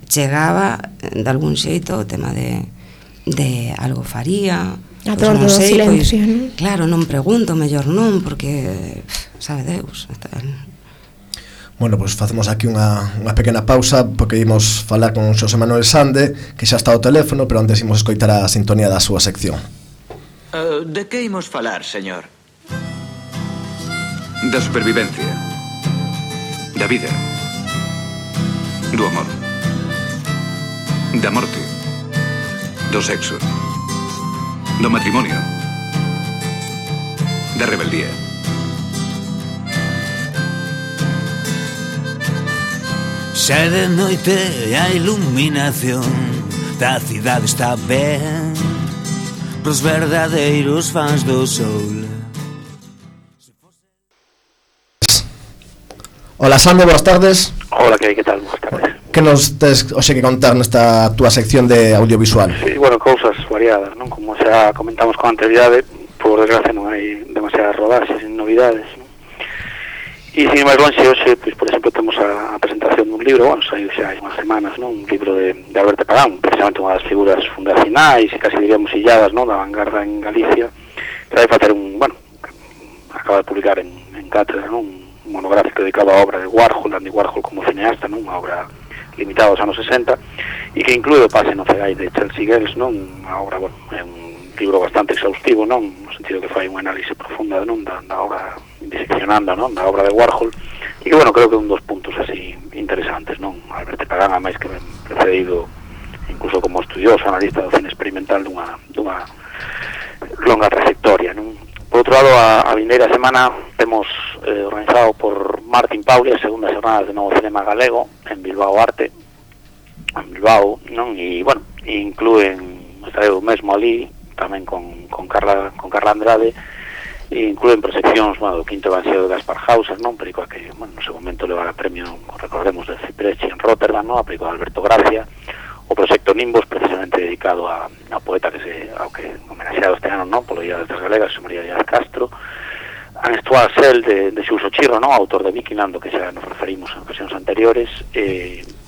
chegaba de algún xeito o tema de algo faría, a todo o silencio, pois, claro, non pregunto, mellor non, porque sabe Deus. Bueno, pois facemos aquí unha pequena pausa porque imos falar con Xosé Manuel Sande, que xa está ao teléfono, pero antes imos escoitar a sintonía da súa sección. De que imos falar, señor? Da supervivencia, da vida, do amor, da morte, do sexo, do matrimonio, da rebeldía. Xa de noite a iluminación da cidade está ben pros verdadeiros fans do sol. Hola Sande, boas tardes. Hola, que tal? Boas tardes. Que nos tes hoxe que contar nesta túa sección de audiovisual? Sí, bueno, cousas variadas, non? Como xa comentamos con anterioridade, por desgracia non hai demasiadas rodaxes e novidades, non? E sin máis longe, hoxe, pois, por exemplo, temos a presentación dun libro, bueno, saiu xa hai unhas semanas, non? Un libro de Alberto Pagán, precisamente unha das figuras fundacionais e casi diríamos illadas, non? Da vanguarda en Galicia, que vai facer acaba de publicar en cátedra, non? Un monográfico dedicado á obra de Warhol, Andy Warhol como cineasta, non? Unha obra limitada aos anos 60, e que inclúe o pase no Cegai de Chelsea Girls, non? Unha obra, bueno, é un libro bastante exhaustivo, non? No sentido que fai unha análise profunda, non? Da obra, diseccionando, non? Da obra de Warhol, e que, bueno, creo que un dos puntos así interesantes, non? Alberto Pagán, a máis que ben precedido incluso como estudioso, analista do cine experimental dunha longa trayectoria, non? Por outro lado, a vindeira semana temos organizado por Martín Pauli a segunda xornada de Novo Cinema Galego en Bilbao Arte, en Bilbao, non? E, bueno, inclúen, estarei mesmo ali, tamén con Carla Andrade, e inclúen proxeccións, bueno, do quinto evangelio de Gaspar Hauser, non? Película que, bueno, no seu momento levara premio, recordemos, de Cipresti en Rotterdam, non? A película de Alberto Gracia, o proxecto Nimbos, precisamente dedicado a poeta ao que homenaxeado este ano, non? Polo Día das Galegas, María Díaz Castro, a Estuar Sel de Xuxo Chirro, non? Autor de Vikinland, do que xa nos referimos en ocasións anteriores,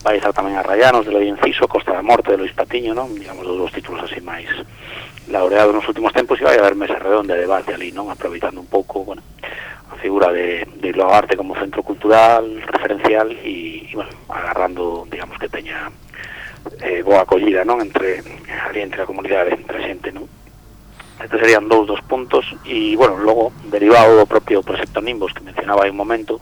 vai estar tamén a Rayanos de Loy Enciso, Costa da Morte de Luis Patiño, non? Digamos, dos títulos así máis laureado nos últimos tempos, e vai haber mesa redonda de debate ali, non? Aproveitando un pouco, bueno, a figura de Iló Arte como centro cultural, referencial, e bueno, agarrando, digamos, que teña boa acollida, non? Entre a comunidade, entre a xente, non? Estes serían dos puntos, e, bueno, logo, derivado do propio proxecto Nimbos, que mencionaba hai un momento,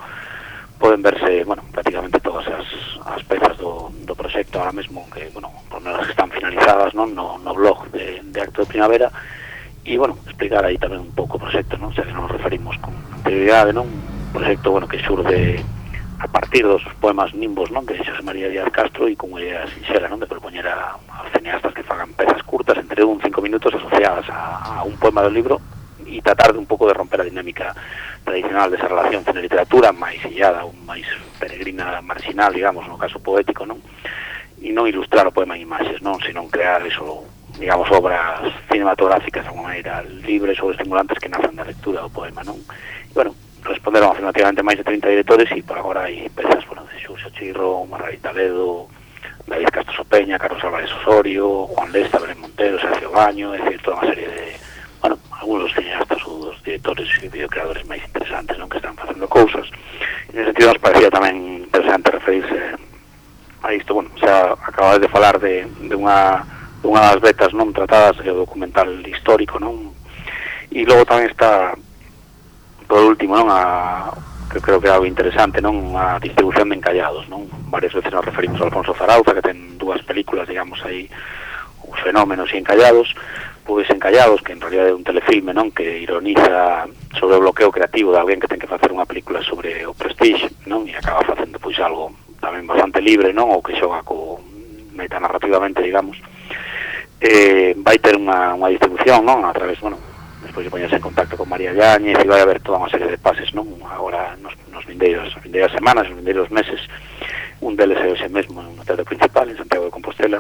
poden verse, bueno, prácticamente todas as pezas do proxecto ahora mesmo, que, bueno, por menos que están finalizadas, non? No blog de Acto de Primavera, e, bueno, explicar aí tamén un pouco o proxecto, non? O sea, que nos referimos con anterioridade, non? Un proxecto, bueno, que xurde a partir dos poemas Nimbos, non? De Xosé María Díaz Castro, e con unha idea sinxela, non? De propoñer aos cineastas que fagan pezas curtas entre 5 minutos asociadas a un poema do libro, e tratar de un pouco de romper a dinámica tradicional desa relación cine-literatura máis illada, ou máis peregrina, marginal, digamos, no caso poético, non? E non ilustrar o poema en imaxes, non? Senón crear eso, digamos, obras cinematográficas de alguma maneira libres ou estimulantes que nacen da lectura do poema, non? E, bueno, responderon afirmativamente máis de 30 directores, e por agora hai pezas, bueno, de Xurxo Chirro, Margarita Ledo, David Castro Sopeña, Carlos Álvarez Osorio, Juan Lesta, Belén Montero, Sergio Baño, é dicir, toda unha serie de, bueno, algunos dos cineastas ou dos directores e videocreadores máis interesantes, non? Que están facendo cousas. E nese sentido nos parecía tamén interesante referirse a isto. Bueno, xa acabades de falar de unha das vetas non tratadas, o documental histórico, non? E logo tamén está, por último, non, que creo que é algo interesante, non? A distribución de encallados, non? Varias veces nos referimos a Alfonso Zarauza, que ten 2 películas, digamos, aí, os fenómenos e encallados, pois encallados, que en realidad é un telefilme, non? Que ironiza sobre o bloqueo creativo de alguén que ten que facer unha película sobre o Prestige, non? E acaba facendo, pois, algo tamén bastante libre, non? Ou que xoga co metanarrativamente, digamos. Vai ter unha distribución, non? A través, bueno, despois de poñerse en contacto con María Yáñez, e vai haber toda unha serie de pases, non? Agora, nos vindeiras semanas, nos vindeiros meses, un deles é ese mesmo no Teatro Principal, en Santiago de Compostela,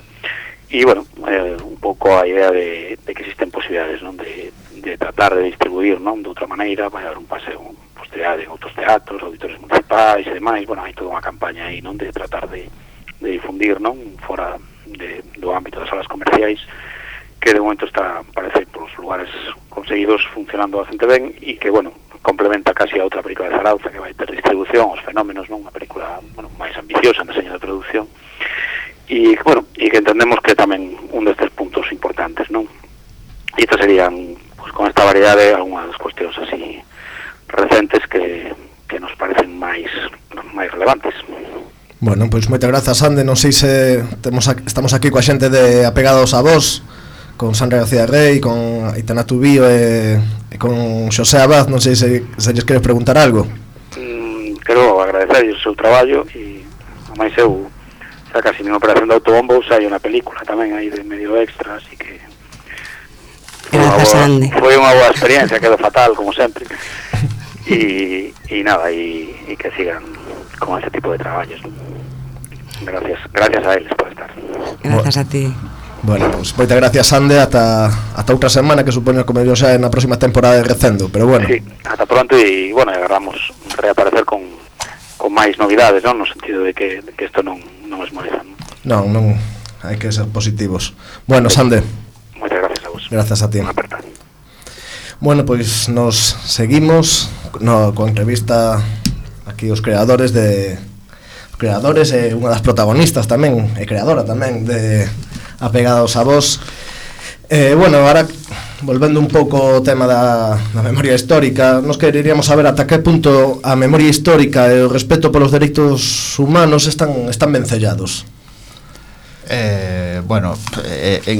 e, bueno, un pouco a idea de que existen posibilidades, non? De tratar de distribuir, non? De outra maneira, vai haber un paseo posterior en outros teatros, auditores municipais e demais. Bueno, hai toda unha campaña aí, non? De tratar de difundir, non? Fora do ámbito das salas comerciais, que de momento está, parece, por os lugares conseguidos funcionando bastante ben, e que, bueno, complementa casi a outra película de Zarauza que vai ter distribución, Os Fenómenos, non? Unha película, bueno, máis ambiciosa en deseño de producción, e, bueno, e que entendemos que tamén un destes puntos importantes, non? E estas serían, pues, con esta variedade, algunhas das cuestións así recentes que nos parecen máis relevantes. Bueno, pois moitas grazas, Sande. Non sei se estamos aquí coa xente de Apegados a Vos, con Sandra García Rey, con Aitana Tubío e con Xosé Abad. Non sei se lles queres preguntar algo. Quero agradecer o seu traballo, e a máis eu xa casi nunha operación de autobombo hai unha película tamén aí de medio extra, así que foi unha boa experiencia, quedou fatal como sempre, e nada, e que sigan con ese tipo de traballos. Gracias a eles por estar. Gracias a ti. Bueno, pues moitas gracias, Sande, ata outra semana, que supoño que mellor xa na próxima temporada de Recendo, pero bueno. Sí, ata pronto, e bueno, agarramos reaparecer con máis novidades, non? No sentido de que isto non esmoreza, non? Non, hai que ser positivos. Bueno, Sande, moitas gracias a vos. Gracias a ti. Bueno, pois nos seguimos coa entrevista aquí os creadores e unha das protagonistas tamén, e creadora tamén de Apegados a Vos. Bueno, agora volvendo un pouco ao tema da memoria histórica, nos quereríamos saber ata que punto a memoria histórica e o respeto polos dereitos humanos están ben sellados. Bueno,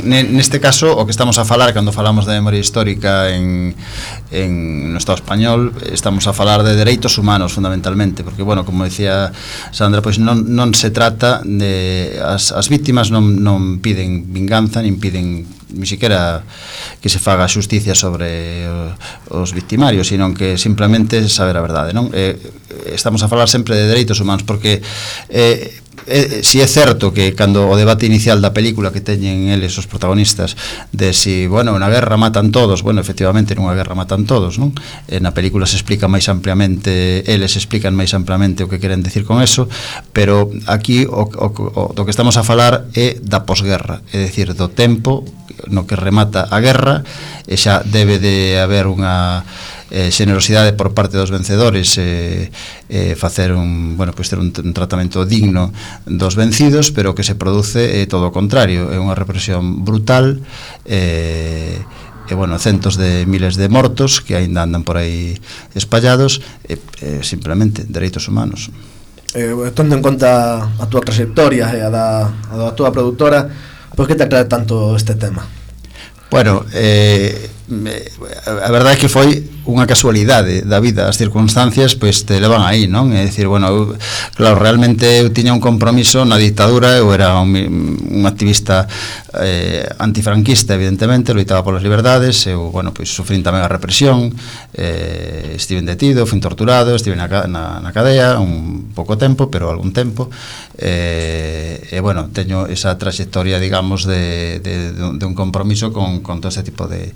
neste caso o que estamos a falar cando falamos de memoria histórica no Estado español, estamos a falar de dereitos humanos fundamentalmente, porque, bueno, como decía Sandra, pois non se trata de as vítimas non piden vinganza, nin piden ni siquiera que se faga xusticia sobre os victimarios, sino que simplemente saber a verdade, non? Estamos a falar sempre de dereitos humanos, porque si é certo que cando o debate inicial da película que teñen eles os protagonistas de si, bueno, na guerra matan todos, bueno, efectivamente nunha guerra matan todos, non? Na película se explica máis ampliamente, eles explican máis ampliamente o que queren decir con eso, pero aquí o do que estamos a falar é da posguerra, é dicir, do tempo no que remata a guerra, e xa debe de haber unha xenerosidade por parte dos vencedores, facer ter un tratamento digno dos vencidos, pero que se produce todo o contrario, é unha represión brutal, centos de miles de mortos que aínda andan por aí espallados, simplemente dereitos humanos. Tendo en conta a túa trayectoria e a da túa produtora, por que te atrae tanto este tema? Bueno, a verdade é que foi unha casualidade da vida, as circunstancias pois te levan aí, non? É dicir, bueno, claro, realmente eu tiña un compromiso na dictadura, eu era un activista antifranquista, evidentemente, loitaba polas liberdades, eu, bueno, pois sufrín tamén a represión, estive detido, fui torturado, estive na cadea un pouco tempo, pero algún tempo, bueno, teño esa trayectoria, digamos, de un compromiso con todo este tipo de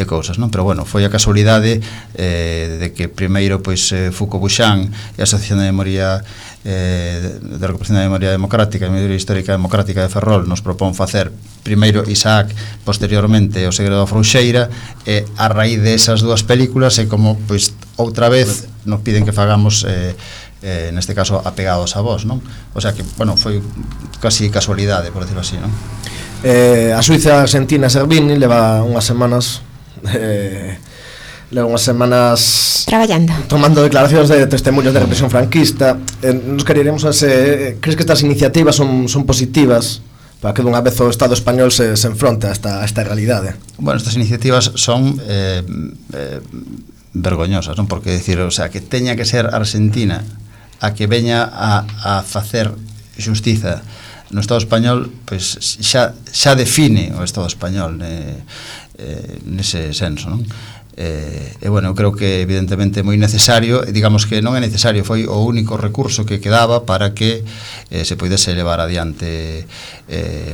cousas, non? Pero bueno, foi a casualidade de que primeiro pois Foucault Buchan e a Asociación de Memoria de Recuperación da Memoria Democrática e Memoria Histórica Democrática de Ferrol nos propón facer primeiro Isaac, posteriormente O segredo da Frouxeira, e a raíz desas dúas películas é como pois outra vez nos piden que fagamos neste caso apegados a vos, non? O sea que, bueno, foi casi casualidade, por decirlo así, non? A suiza argentina Servini leva unhas semanas traballando, tomando declaracións de testemunhos de represión franquista. Nos queríamos crees que estas iniciativas son positivas para que dunha vez o Estado español se enfronte a esta realidade? Bueno, estas iniciativas son vergoñosas, non? Porque decir, o sea, que teña que ser Argentina a que veña a facer xustiza no Estado español, pois xa define o Estado español nese senso, non? Bueno, eu creo que evidentemente é moi necesario, digamos que non é necesario, foi o único recurso que quedaba para que se poidese levar adiante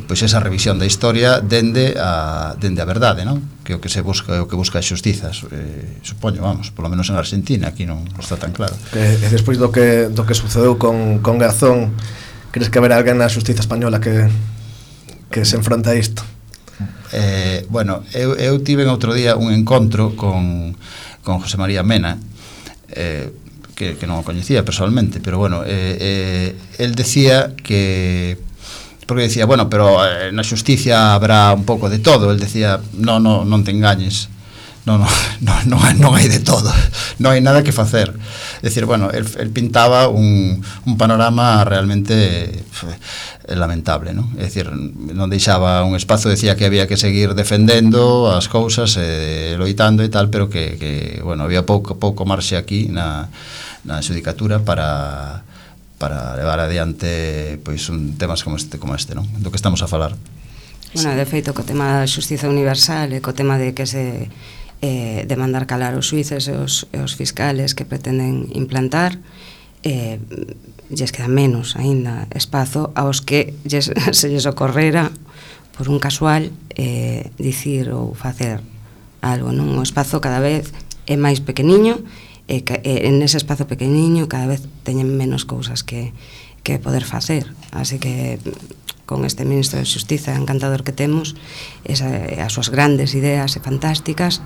pois esa revisión da historia dende a verdade, non? Que o que se busca é o que busca a xustiza, supoño, vamos, polo menos en Argentina, aquí non está tan claro. E despois do que sucedeu con Garzón, crees que haberá alguén na xustiza española que se enfronta a isto? Bueno, eu tive outro día un encontro con José María Mena, que non o coñecía personalmente, pero bueno, el decía que, porque decía, bueno, pero na xusticia habrá un pouco de todo. El decía, non te engañes, non hai de todo, non hai nada que facer. É dicir, bueno, el pintaba un panorama realmente lamentable, non? É dicir, non deixaba un espazo, decía que había que seguir defendendo as cousas, loitando e tal, pero que bueno, había pouco marxe aquí na xudicatura para levar adiante pois temas como este, non? Do que estamos a falar. Bueno, de feito, co tema da xustiza universal e co tema de que se de mandar calar os xuíces e os fiscales que pretenden implantar, lles queda menos aínda espazo aos que se lles ocorrera por un casual dicir ou facer algo, non? O espazo cada vez é máis pequeniño e en ese espazo pequeniño cada vez teñen menos cousas que poder facer, así que con este ministro de Xustiza encantador que temos, as súas grandes ideas e fantásticas,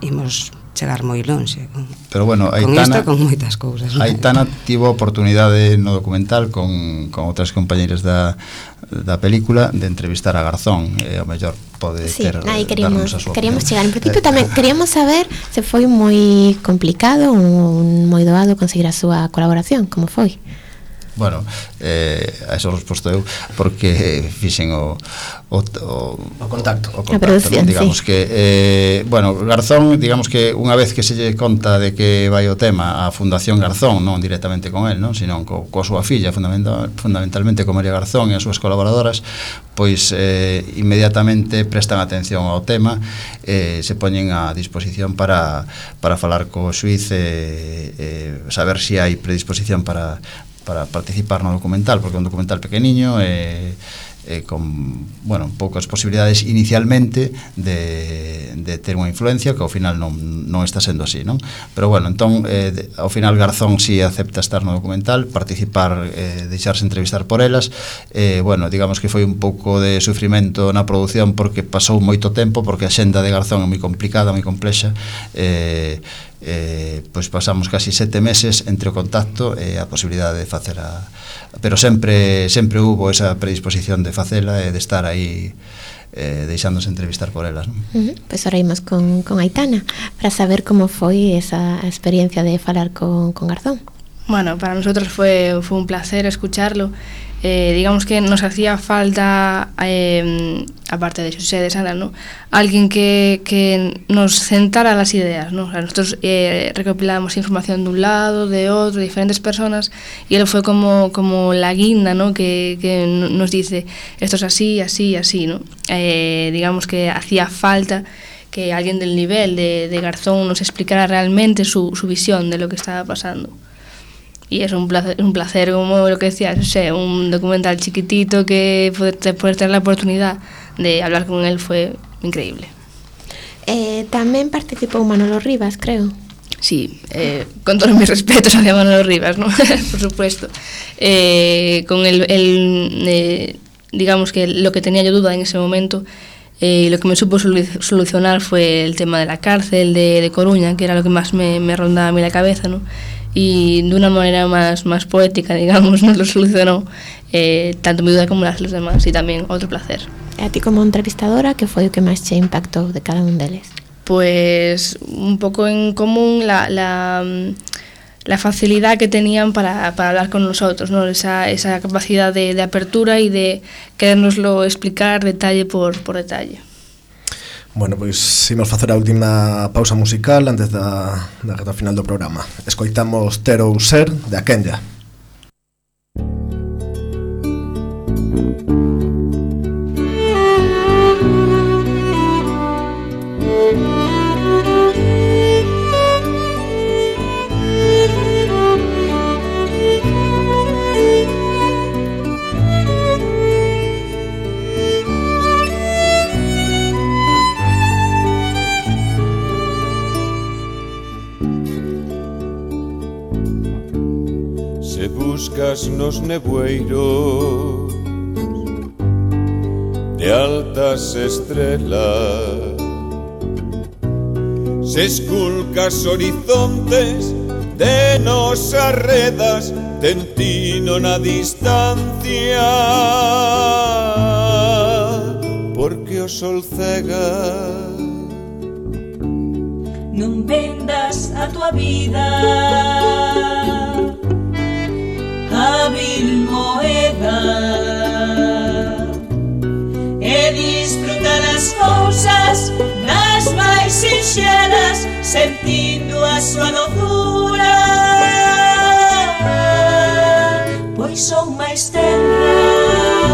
imos chegar moi lonxe pero bueno, con isto, con moitas cousas. Aitana tivo a oportunidade no documental con outras compañeiras da película de entrevistar a Garzón, e ao mellor pode ter queríamos chegar. En principio tamén queríamos saber se foi moi complicado ou moi doado conseguir a súa colaboración, como foi? Bueno, a eso resposto eu porque fixen o contacto, producción, digamos, sí. Que bueno, Garzón, digamos que unha vez que se lle conta de que vai o tema a Fundación Garzón, non directamente con el, non, sino coa súa filla, fundamentalmente con María Garzón e as súas colaboradoras, pois inmediatamente prestan atención ao tema, se poñen a disposición para falar co xuíz e saber se hai predisposición para participar no documental, porque é un documental pequeniño e con, bueno, poucas posibilidades inicialmente de ter unha influencia, que ao final non está sendo así, non? Pero bueno, entón, ao final Garzón si acepta estar no documental, participar, deixarse entrevistar por elas, bueno, digamos que foi un pouco de sufrimento na produción porque pasou moito tempo, porque a xenda de Garzón é moi complicada, moi complexa, pois pasamos casi 7 meses entre o contacto e a posibilidade de facer pero sempre hubo esa predisposición de facela e de estar aí deixándose entrevistar por elas, non? Pois ahora imos con Aitana para saber como foi esa experiencia de falar con Garzón. Bueno, para nosotros fue un placer escucharlo. Digamos que nos hacía falta, aparte de José de Sandra, ¿no?, alguien que nos sentara las ideas, ¿no? O sea, nosotros recopilábamos información de un lado, de otro, de diferentes personas, y él fue como la guinda, ¿no?, que nos dice esto es así, así, así, ¿no? Digamos que hacía falta que alguien del nivel de Garzón nos explicara realmente su visión de lo que estaba pasando. Y es un placer, como lo que decías, o sea, un documental chiquitito que poder tener la oportunidad de hablar con él fue increíble. También participó Manolo Rivas, creo. Sí, con todos mis respetos hacia Manolo Rivas, ¿no? Por supuesto. Con digamos que lo que tenía yo duda en ese momento, lo que me supo solucionar fue el tema de la cárcel de Coruña, que era lo que más me rondaba a mí la cabeza, ¿no? Y de una manera más poética, digamos, nos lo solucionó tanto mi duda como las de los demás, y también otro placer. A ti como entrevistadora, que foi o que máis che impactou de cada un deles? Pues un poco en común la facilidad que tenían para hablar con nosotros, ¿no? Esa capacidad de apertura y de querérnoslo explicar detalle por detalle. Bueno, pois imos facer a última pausa musical antes da reta final do programa. Escoitamos Ter ou Ser, de Akenya. Buscas nos nevoeiros de altas estrelas, se esculcas horizontes de nos arredas, tentino na distancia, porque o sol cega. Non vendas a tua vida hábil moeda e disfruta das cousas das máis sinxelas, sentindo a súa doçura, pois son máis tenras.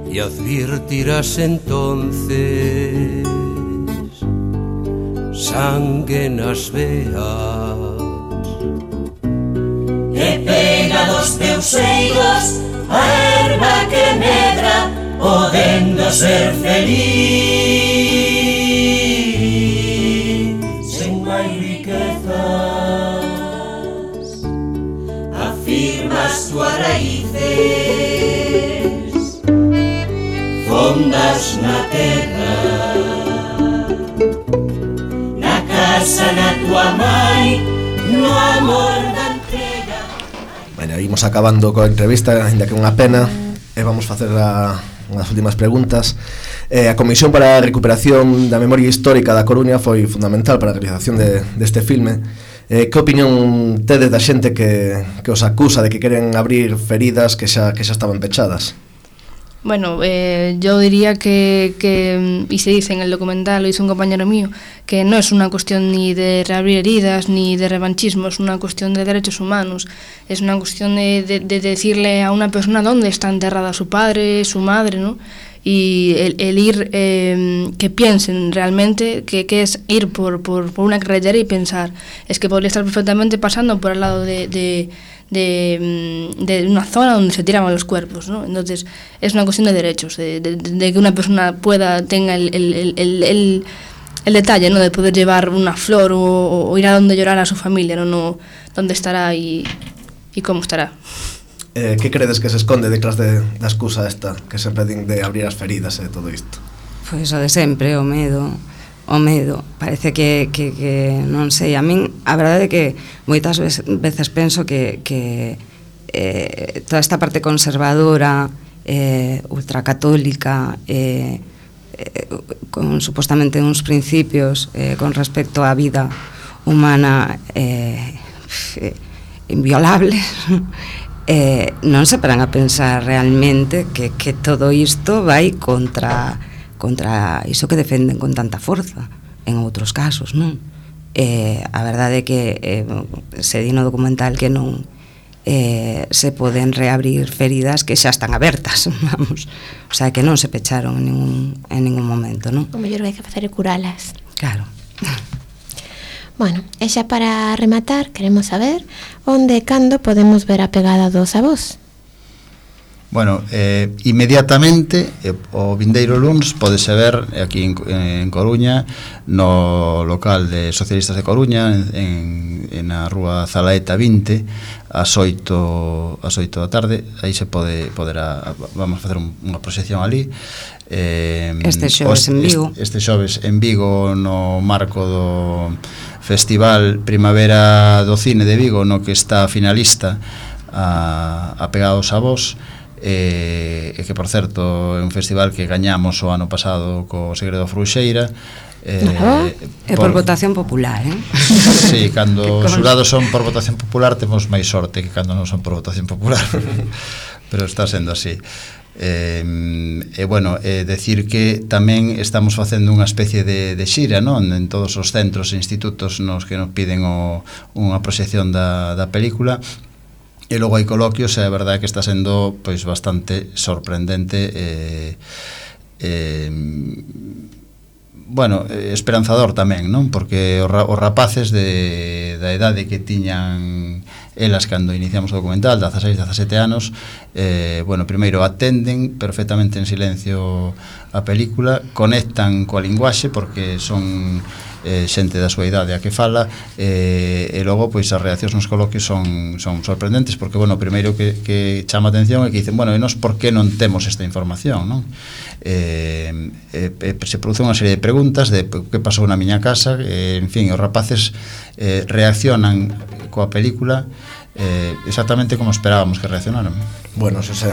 Y advirtirás entonces sangue nas veas e pega dos teus seios a erva que medra, podendo ser feliz sen máis riquezas. Afirmas túas raíces fondas na terra, na casa na tua mãe, no amor da entrega. Bueno, imos acabando coa entrevista, ainda que unha pena, e vamos facer unhas últimas preguntas. A Comisión para a Recuperación da Memoria Histórica da Coruña foi fundamental para a realización deste filme. Que opinión tedes da xente que os acusa de que queren abrir feridas que xa estaban pechadas? Bueno, yo diría que, y se dice en el documental, lo hizo un compañero mío, que no es una cuestión ni de reabrir heridas ni de revanchismo, es una cuestión de derechos humanos, es una cuestión de decirle a una persona dónde está enterrada su padre, su madre, ¿no? Y el ir, que piensen realmente que es ir por una carretera y pensar, es que podría estar perfectamente pasando por al lado de una zona donde se tiraban los cuerpos, ¿no? Entonces es una cuestión de derechos, de que una persona tenga el detalle, ¿no? De poder llevar una flor o ir a donde llorar a su familia, no dónde estará y cómo estará. Que credes que se esconde detrás da excusa esta que sempre din de abrir as feridas e todo isto? Pois o de sempre, o medo. Parece que non sei, a min a verdade é que moitas veces penso que toda esta parte conservadora, ultracatólica, con supostamente uns principios con respecto á vida humana inviolables, non se paran a pensar realmente que todo isto vai contra iso que defenden con tanta forza en outros casos, non? A verdade é que se di no documental que non se poden reabrir feridas que xa están abertas, vamos, o sea, que non se pecharon en ningún momento, non? O mellor que hai que facer é curalas. Claro. Bueno, e xa para rematar, queremos saber onde e cando podemos ver a pegada dos avós. Bueno, inmediatamente o vindeiro luns podese ver aquí en Coruña, no local de Socialistas de Coruña, na rúa Zalaeta 20, ás 8 da tarde. Aí se poderá, vamos a facer unha proxección ali. Este xoves en Vigo. Este xoves en Vigo, no marco do Festival Primavera do Cine de Vigo, no que está finalista a Pegada aos Avós, e que, por certo, é un festival que gañamos o ano pasado co Segredo Fruxeira. É por votación popular, Sí, cando os xurados son por votación popular temos máis sorte que cando non son por votación popular, pero está sendo así. Bueno, decir que tamén estamos facendo unha especie de xira, non? En todos os centros e institutos nos que nos piden unha proxección da película. E logo hai coloquios, e a verdade é que está sendo pois bastante sorprendente, bueno, esperanzador tamén, non? Porque os rapaces da idade que tiñan elas cando iniciamos o documental, 16, 17 anos, bueno, primeiro atenden perfectamente en silencio a película, conectan coa linguaxe porque son xente da súa idade a que fala, e logo pois as reaccións nos coloquios son sorprendentes, porque, bueno, o primeiro que chama a atención é que dicen, bueno, e nós por que non temos esta información, non? Se produce unha serie de preguntas de que pasou na miña casa, en fin, os rapaces reaccionan coa película exactamente como esperábamos que reaccionaran. Bueno, Xosé,